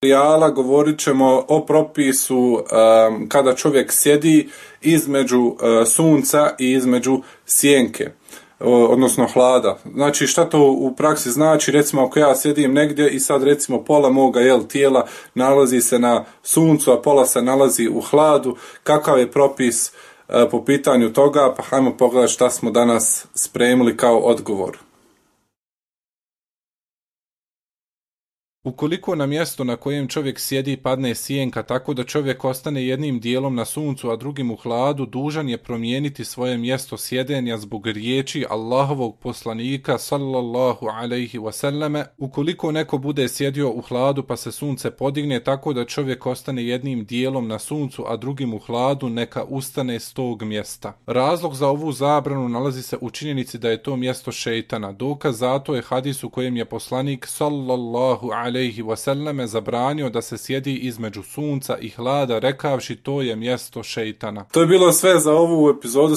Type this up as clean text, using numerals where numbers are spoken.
materijala govorit ćemo o propisu kada čovjek sjedi između sunca i između sjenke, odnosno hlada. Znači šta to u praksi znači? Recimo ako ja sjedim negdje i sad recimo pola moga tijela nalazi se na suncu, a pola se nalazi u hladu, kakav je propis po pitanju toga? Pa hajmo pogledati šta smo danas spremili kao odgovor. Ukoliko na mjesto na kojem čovjek sjedi padne sjenka tako da čovjek ostane jednim dijelom na suncu, a drugim u hladu, dužan je promijeniti svoje mjesto sjedenja zbog riječi Allahovog poslanika sallallahu alejhi ve selleme. Ukoliko neko bude sjedio u hladu pa se sunce podigne tako da čovjek ostane jednim dijelom na suncu, a drugim u hladu, neka ustane s tog mjesta. Razlog za ovu zabranu nalazi se u činjenici da je to mjesto šejtana. Dokaz zato je hadis u kojem je poslanik sallallahu alejhi ve selleme zabranio da se sjedi između sunca i hlada rekavši to je mjesto šejtana. To je bilo sve za ovu epizodu.